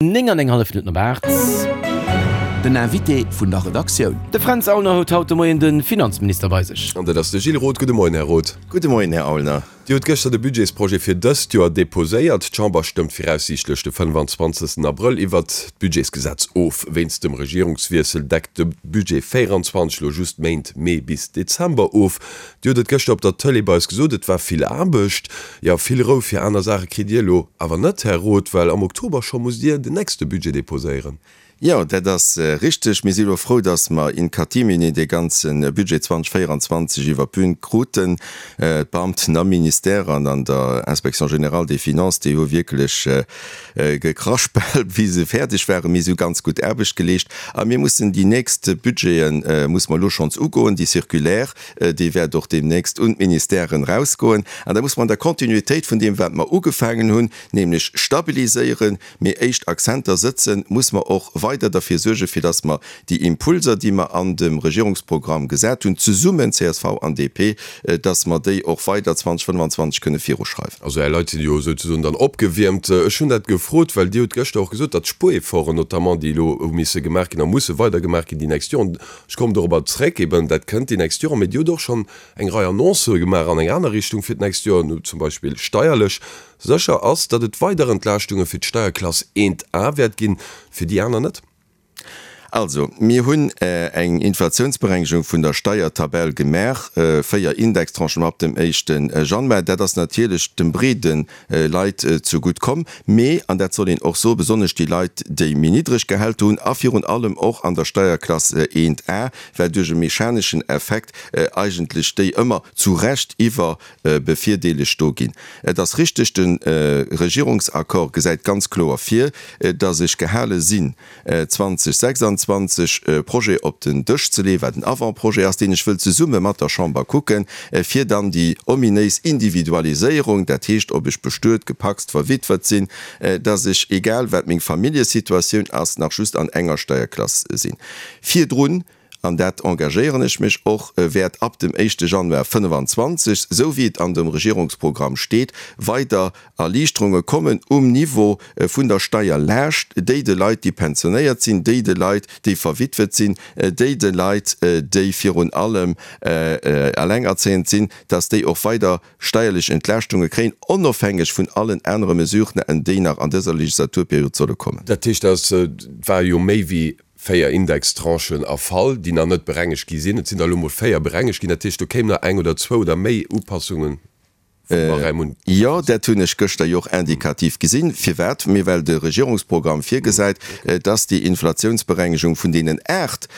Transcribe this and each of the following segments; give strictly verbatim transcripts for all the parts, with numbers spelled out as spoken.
Néng an eng hallef Minutten op aacht. Den Invité vun der Redaktioun. De Fränz Aulner huet haut de Moien de Finanzminister bei sech. An dat ass de Gilles Roth. Gudde Moien, Här Roth. Gudde Moien, Här Aulner. Dir hutt gëschter de Budgetsprojet fir dëst Joer deposéiert. D'Chamber stëmmt viraussiichtlech de fënnefanzwanzegsten Abrëll iwwert d'Budgetsgesetz of. Wéinst dem Regierungswiessel deckt de Budget véieranzwanzeg elo just d'Méint Mee bis Dezember of. Dir hutt et gëschter op der Tëlee bei eis gesot, et war vill Aarbecht. Jo, vill Rou fir aner Saache kritt Dir elo awer net, Här Roth, well am Oktober scho musst Dir den nächste Budget deposéieren. Jo, dat ass richteg. Mir si elo frou, datt mer in catimini dee ganze Budget zweitausendvéieranzwanzeg iwwer d'Bün kruten. D'Beamten am Ministère an an der Inspection générale des finances, déi hu wierklech gekraspelt, wéi se fäerdeg waren. Mee si hu ganz gutt Aarbecht geleescht. A mir mussen déi nächst Budgete musse mer elo schonns ugoen. Déi Circulaire, déi wäert och deemnächst un d'Ministèren erausgoen. An da musse mer an der Kontinuitéit vun deem, wat mer ugefaangen hunn, nämlech stabiliséieren, mee éischt Akzenter sëtzen, musse mer och weider derfir suergen, fir dass mer déi Impulser, déi mer an dem Regierungsprogramm gesat hunn, zesummen, C S V an D P, dass mer déi och weider zweitausendfënnefanzwanzeg kënne viruschreiwen. Also Är Leit sinn jo souzesoen dann opgewiermt. Ech hunn dat gefrot, well Dir hutt gëschter och gesot, datt d'Spuerefforten notamment, déi elo hu misse gemaach ginn a musse weider gemaach ginn déi nächst Joren, ech kommen dorobber zréck, eben dat kënnt déi nächst Joren, mee Dir hutt och schonn eng Rei Annoncë gemaach an eng aner Richtung fir d'nächst Joer, zum Beispill steierlech. Sécher ass, datt et weider Entlaaschtunge fir d'Steierklass eent A wäert ginn, fir déi aner net. Also, mir hunn eng Inflatiounsberengegung vun der Steiertabell gemaach, véier Indextranchen ab dem éischte Januar. Dat ass natierlech dem breede Leit zegutt komm, mee, an dat soll een och soen, besonnesch déi Leit, déi méi niddreg Gehälter hunn a virun allem och an der Steierklass eent A, well duerch e mechaneschen Effekt eigentlech déi ëmmer zu Recht iwwer bevirdeelegt do ginn. Et ass richteg, de Regierungsaccord gesäit ganz kloer vir, datt ech gehale sinn, zweitausendsechsundzwanzeg e Projet op den Dësch ze leeën, wat en Avant-projet ass, deen ech wëll zesumme mat der Chamber kucken, fir dann déi ominéis Individualiséierung, dat heescht, ob ech bestuet, gepacst, verwitwet sinn, datt ech, egal wat meng Familljesituatioun ass, nach just an enger Steierklass sinn. Virdrun, an dat engagéieren ech mech och, wäert ab dem éischte Januar fënnefanzwanzeg, esou wéi et an dem Regierungsprogramm steet, weider Erliichterunge kommen um Niveau vun der Steierlaascht, déi de Leit, déi pensionéiert sinn, déi de Leit, déi verwitwet sinn, déi de Leit, déi virun allem alengerzéiend sinn, dass déi och weider steierlech Entlaaschtunge kréien, onofhängeg vun allen anere Mesuren, déi nach an dëser Legislaturperiod solle kommen. Dat heescht, dat war jo méi wéi véier Indextranchen erfall, déi nach net berengegt gi sinn. Et sinn der elo mol véier berengegt ginn. Dat heescht, do kéimen nach eng oder zwou oder méi Upassungen vum Barème un. Jo, dat hunn ech gëschter jo och indikativ gesinn. Firwat? Mee well de Regierungsprogramm virgesäit, dass déi Inflationsberengegung vun deenen aacht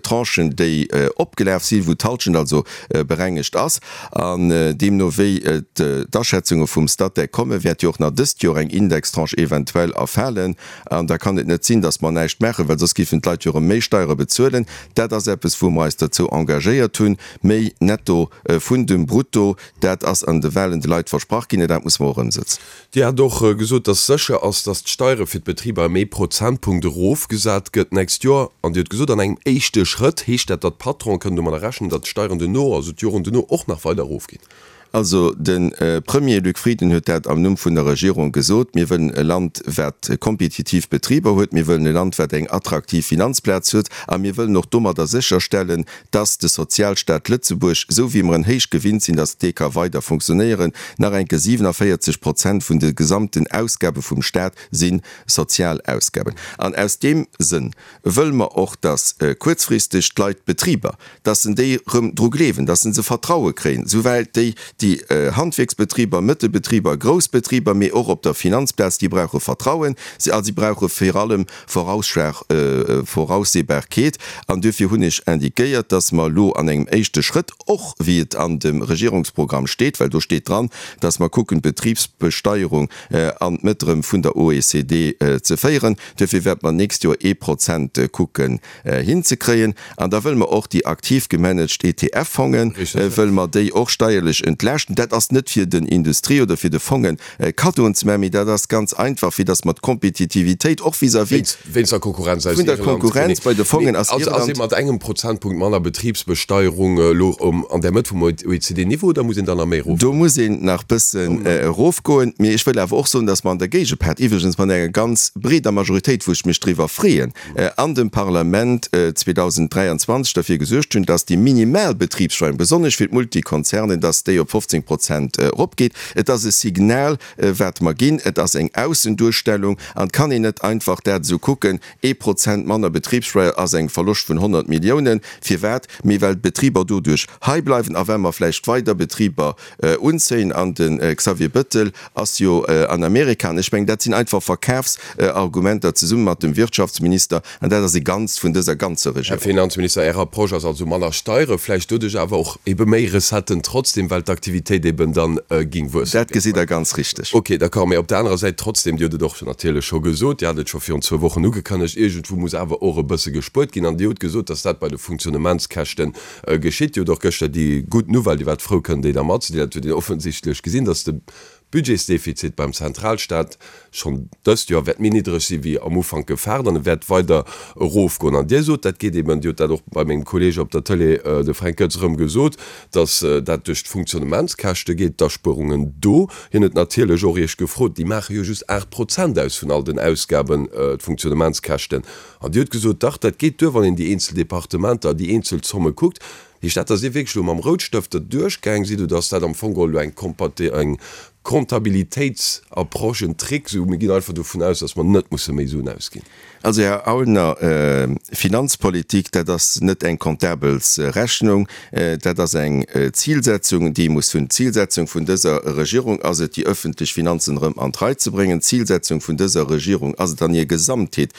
Tranchen, déi opgelaf sinn, wou d'Halschent also berengegt ass, an deemno wéi d'Aschätzunge vum Statec kommen, wäert jo och nach dëst Joer eng Indextranche eventuell erfalen. An da kann et net sinn, dass mer näischt maachen, well soss géifen d'Leit jo erëm méi Steiere bezuelen. Dat ass eppes, wou mer eis derzou engagéiert hunn, méi Netto vun dem Brutto, dat ass an de Wahlen de Leit versprach ginn, dat musse mer och ëmsetzen. Dir hat och gesot, dass sécher ass, dass d'Steiere fir d'Betriber ëm ee Prozentpunkt erofgesat gëtt d'nächst Joer. An Dir hutt gesot, an engem éischte Schrëtt. Heescht dat, datt d'Patronen kënnen domadder rechnen, datt d'Steieren duerno, also d'Joren duerno, och nach weider erofginn? Also de Premier Luc Frieden huet dat am Numm vun der Regierung gesot, Mir wëllen e Land, wat kompetitiv Betriber huet. Mir wëllen e Land, wat eng attraktiv Finanzplaz huet. A mir wëllen och domadder sécherstellen, dass de Sozialstaat Lëtzebuerg, esou wéi mer en héich gewinnt sinn, dass dee ka weider funktionéieren. Nach eng Kéier, siewenundvierzig Prozent vun de gesamten Ausgabe vum Staat si sozial Ausgaben. An aus deem Sënn wëlle mer och, dass kuerzfristeg d'Leit, d'Betriber, dass se déi erëm dru gleewen, dass se se Vertraue kréien, souwäit déi déi Handwierksbetriber, Mëttelbetriber, grouss Betriber, mee och op der Finanzplaz, déi brauche Vertrauen, a si brauche vir allem Voraussehbarkeet. An duerfir hunn ech indiquéiert, dass mer elo an engem éischte Schrëtt, och wéi et an dem Regierungsprogramm steet, well do steet dran, dass mer kucken, d'Betribsbesteierung an d'Mëtt erëm vun der O E C D ze féieren, duerfir wäerte mer d'nächst Joer ee Prozent kucken hinzekréien. An da wëlle mer och déi aktiv gemanaged E T F-Fongen, wëlle mer déi och steierlech entlaaschten. entlaaschten. Dat ass net fir den Industrie oder fir de Fongen Kaddoen ze maachen, mee dat ass ganz einfach, fir datt mer d'Kompetitivitéit och vis-à-vis Wéinst der Konkurrenz aus vun der Irland. Konkurrenz bei de Fongen aus Also ass Irland. ee mat engem Prozentpunkt manner Betribsbesteierung elo an der Mëtt vum O E C D-Niveau oder muss een dann nach méi erofgoen? Do muss een nach bëssen erofgoen. Mee ech wëll awer och soen, datt mer an der Géigepart, iwwregens mat enger ganz breeder Majoritéit, wou ech mech driwwer freeën, an dem Parlament zweedausenddräianzwanzeg derfir gesuergt hunn, datt déi minimal Betribssteuer, besonnesch fir d'Multikonzernen, datt déi op fofzéng Prozent eropgeet. Et ass e Signal, wat mer ginn. Et ass eng Aussenduerstellung an et kann een net einfach dat esou kucken, ee Prozent manner Betribssteuer ass eng Verloscht vun honnert Milliounen. Firwat? Mee well d'Betriber doduerch hei bleiwen a well mer vläicht weider Betriber unzéien. An de Xavier Bettel ass jo an Amerika. An ech mengen, dat sinn einfach Verkafsargumenter zesumme mat dem Wirtschaftsminister. An dat ass e Ganzt vun dëser ganzer Här Regierung. Finanzminister, Är Approche ass also manner Steiere, vläicht doduerch awer och ebe méi Recetten trotzdem, well d'Aktivitéit eben dann ging wuessen. Dat gesitt Der ganz richteg. Ok, d'accord. Mee op der anerer Säit trotzdem, Dir hutt et och natierlech scho gesot, Dir hat et scho virun zwou Wochen ugekënnegt, iergendwou muss awer och e bësse gespuert ginn. An Dir hutt gesot, dass dat bei de Funktionnementskäschte geschitt. Dir hutt och gëschter déi gutt Nouvelle, Dir waart frou kënnen déi da matzedeelen, dat huet een offensichtlech gesinn, dass de Budgetsdefizit beim Zentralstaat schonn dëst Joer wäert méi niddreg si wéi am Ufank gefaart an e wäert weider erofgoen. An Dir sot, dat geet eben, Dir hutt dat och bei mengem Kolleeg op der Tëlee, de Fränk Goetz, erëm gesot, datt dat duerch d'Funktionnementskäschte geet, d'Aspuerungen do. Hien huet natierlech och Iech gefrot, déi maache jo just aacht Prozent aus vun all den Ausgaben, d'Funktionnementskäschten. An Dir hutt gesot, dach, dat geet duer, wann een déi eenzel Departementer, déi eenzel Zomme kuckt. Heescht dat, datt Dir wierklech elo mam Routstëft derduerchgaang sidd oder ass dat am Fong geholl elo eng eng Comptabilitéitsapproche, en Trick, esou mir ginn einfach dovun aus, datt mer net musse méi Suen ausginn? Also, Här Aulner, Finanzpolitik, dat ass net eng Comptabelsrechnung, dat ass eng Zilsetzung, déi ee muss hunn. D'Zilsetzung vun dëser Regierung ass et, déi öffentlech Finanzen erëm an d'Rei ze bréngen. D'Zilsetzung vun dëser Regierung ass et an hir Gesamtheet,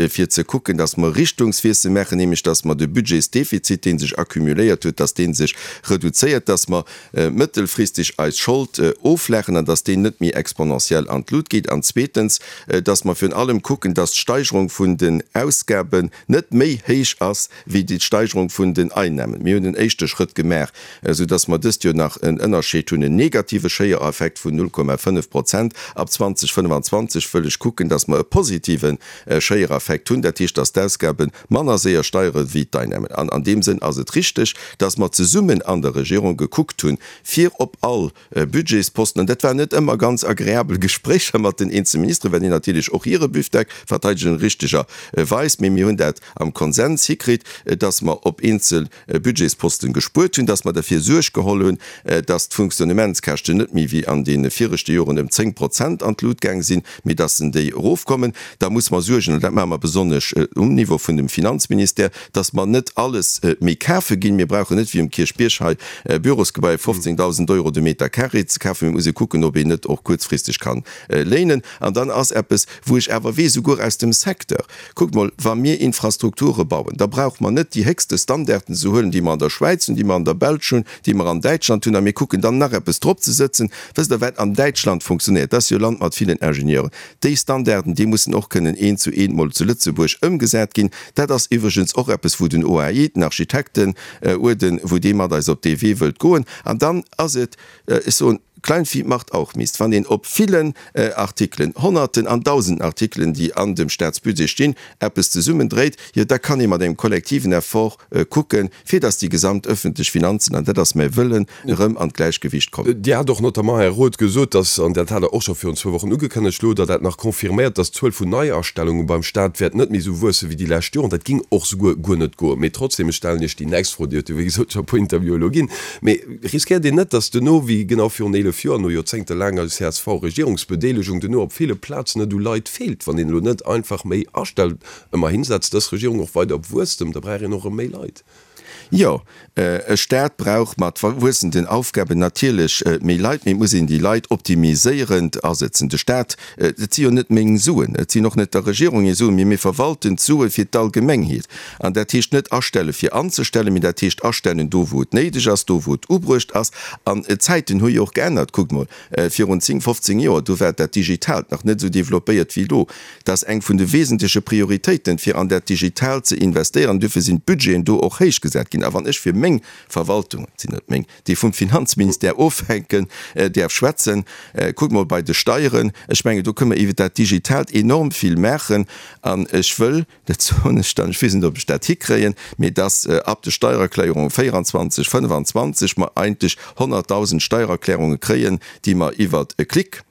fir ze kucken, datt mer e Richtungswiessel maachen, nämlech datt mer de Budgetsdefizit, dee sech accumuléiert huet, datt dee sech reduzéiert, datt mer mëttelfristeg eis Schold oflaachen an datt déi net méi exponentiell an d'Lut geet, an zweetens, datt mer virun allem kucken, datt d'Steigerung vun den Ausgaben net méi héich ass wéi déi Steigerung vun den Einnahmen. Mir hunn en éischte Schrëtt gemaach, soudatt mer dëst Joer nach en Ënnerscheed hunn, en negative Schéiereffekt vun null Komma fënnef Prozent. Ab zweedausendfënnfanzwanzeg wëll ech kucken, datt mer e positive Schéiereffekt hunn, dat heescht, datt d'Ausgabe manner séier steigere wéi d'Einnahmen. An an deem Sënn ass et richteg, datt mer zesummen an der Regierung gekuckt hunn, fir op all Budgetsposten, an dat waren net ëmmer ganz agreabel Gespréicher mat den eenzelne Ministeren, well déi natierlech och hire Büfdeck verteidegen, richtegerweis, mee mir hunn dat am Konsens hikritt, dass mer op eenzel Budgetsposten gespuert hunn, dass mer derfir Suerg geholl hunn, dass d'Funktionnementskäschten net méi wéi an deene viregte Joren ëm zéng Prozent an d'Lut gaang sinn, mee dass en déi erofkommen. Da muss mer suergen, an dat maache mer besonnesch um Niveau vun dem Finanzministère, dass mer net alles méi kafe ginn. Mir brauchen net wéi um Kierchbierg hei Bürosgebaier fofzéngdausend Euro de Meter carré ze kafen. Mir musse kucken, ob een net och kuerzfristeg ka léinen. An dann ass eppes, wou ech awer weess, souguer aus dem Secteur, Kuckt mol, wa mir Infrastrukture bauen, da brauche mer net déi héchste Standarden ze huelen, déi mer an der Schwäiz hunn, déi mer an der Belsch hunn, déi mer an Däitschland hunn, a mir kucken dann nach eppes drop ze sëtzen. Wësst Der, wat an Däitschland funktionéiert? Dat ass jo e Land mat villen Ingenieuren. Déi Standarden, déi mussen och kënnen eent zu eent mol zu Lëtzebuerg ëmgesat ginn. Dat ass iwwregens och eppes, wou den O A I, den Architektenuerden, wou dee mat eis op dee Wee wëllt goen. An dann ass et, ech soen, Kleinvieh macht auch Mist, wann een op villen Artikelen, Honnerten an Dausenden Artikelen, déi an dem Staatsbudget stinn, eppes zesummendréit, jo da kann ee mat engem kollektiven Effort kucken, fir datt déi gesamt öffentlech Finanzen, an dat ass mäi Wëllen, erëm an d'Gläichgewicht kommen. Dir hat och notamment, Här Roth, gesot, datt, an dat hat Der och scho virun zwou Wochen ugekënnegt, elo hutt Der dat nach confirméiert, datt d'Zuel vun Neiastellunge beim Staat wäert net méi esou wuesse wéi déi lescht Joren. Dat ging och souguer guer net goen. Mee trotzdem, ech stellen Iech déi nächst Fro, Dir hutt jo wéi gesot scho e puer Interviewen elo ginn, mee riskéiert een net, datt duerno, wéi genau virun eelef Joer, no joerzéngtelaanger C S V-Regierungsbedeelegung, duerno op ville Plazen et u Leit feelt, wann een elo net einfach méi astellt? Ëmmerhin setzt dës Regierung och weider op Wuesstem, da brauch een och erëm méi Leit. Jo, e Staat brauch mat wuessenden Aufgaben natierlech méi Leit, mee et muss een déi Leit optimiséierend asetzen. De Staat, et si jo net meng Suen, et sinn och net der Regierung hir Suen, mee mir verwalten d'Sue fir d'Allgemengheet. An dat heescht net astelle fir anzestellen, mee dat heescht astellen do wou et néideg ass, do wou et ubruecht ass. An d'Zäiten hu jo och geännert. Kuckt mol, virun zéng, fofzéng Joer, do war dat Digitaalt nach net esou développéiert wéi elo. Dat ass eng vun de wesentleche Prioritéiten, fir an dat Digitaalt ze investéieren. Duerfir sinn d'Budgeten do och héich gesat. ëmgesat ginn. A wann ech fir meng Verwaltung, et sinn net meng, déi vum Finanzministère ofhänken, däerf schwätzen, kuckt mol bei de Steieren, ech mengen, do kënne mer iwwert dat Digitaalt enorm vill maachen. An ech wëll, dat soen ech dann, ech weess net, ob ech dat hikréien, mee dass ab de Steiererklärunge véieranzwanzeg, fënnefanzwanzeg mer eigentlech honnertdausend Steiererklärunge kréien, déi mer iwwert e Klick,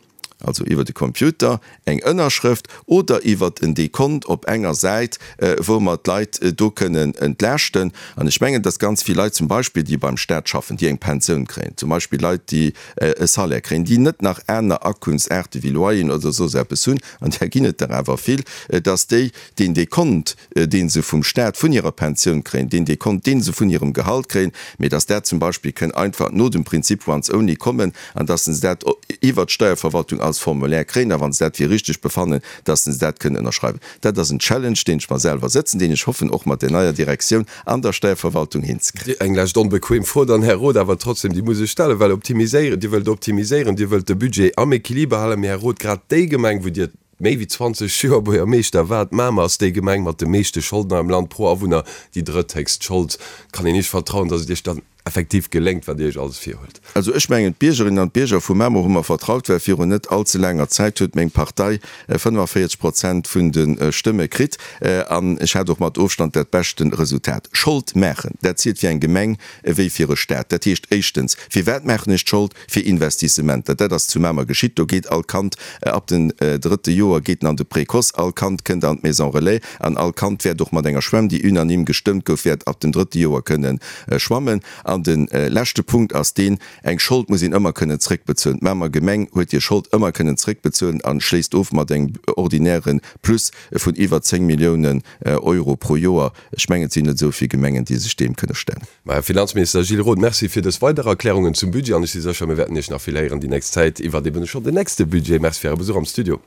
also iwwert e Computer, eng Ënnerschrëft oder iwwert en Dekont op enger Säit, wou mer d'Leit do kënnen entlaaschten. An ech mengen, dass ganz vill Leit zum Beispill, déi beim Stat schaffen, déi eng Pensioun kréien, zum Beispill Leit, déi e Salaire kréien, déi net nach aner Akunftsaarte wéi Loyeren oder soss eppes hunn, an där ginn et der awer vill, dass déi deen Dekont, dee se vum Stat vun hirer Pensioun kréien, deen Dekont, dee se vun hirem Gehalt kréien, mee dass dat zum Beispill kënn einfach no dem Prinzip once only kommen an dass se dat iwwert d'Steierverwaltung als Formulaire kréien a wa se dat fir richteg befannen, dass se dat kënnen ënnerschreiwen. Dat ass en Challenge, deen ech mer selwer sëtzen, deen ech hoffen och mat der neier Direktioun an der Steierverwaltung hinzekréien. Eng lescht onbequem Fro dann, Här Roth, awer trotzdem, déi muss ech stellen, well optimiséieren, Dir wëllt optimiséieren, Dir wëllt de Budget am Equiliber halen, mee Här Roth, grad déi Gemeng, wou Dir méi wéi zwanzeg Joer Buergermeeschter waart, Mamer, ass déi Gemeng mat de meeschte Scholden am Land, pro Awunner déi drëtthéchst Schold. Kann een Iech vertrauen, dass et Iech dann effektiv geléngt, wat Dir Iech alles virhuelt? Also ech mengen, d'Biergerinnen an d'Bierger vu Mamer hu mer vertraut, well virun net all ze laanger Zäit huet meng Partei fënnefavéierzeg Prozent vun de Stëmme kritt an ech hat och mat Ofstand dat beschte Resultat. Schold maachen, dat zielt fir eng Gemeng ewéi fir e Staat. Dat heescht éischtens, firwat maachen ech d'Schold? Fir Investissementer. Dat ass zu Mamer geschitt. Do geet all Kand ab dem drëtte Joer geet en an de Précoce, all Kand kënnt an d'Maison relais an all Kand wäert och mat enger Schwämm, déi unanime gestëmmt gouf, wäert ab dem drëtte Joer kënne schwammen. An de leschte Punkt ass deen, Eng Schold muss een ëmmer kënnen zréckbezuelen. D'Mamer Gemeng huet hir Schold ëmmer kënnen zréckbezuelen a schléisst of mat engem ordinäre Plus vun iwwer zéng Milliounen Euro pro Joer. Ech mengen, et sinn net esou vill Gemengen, déi sech deem kënne stellen. Mä Här Finanzminister Gilles Roth, Merci fir dës weider Erklärungen zum Budget an ech si sécher, mir wäerten Iech nach vill héieren déi nächst Zäit iwwert eben schonn den nächste Budget. Merci fir Äre Besuch am Studio.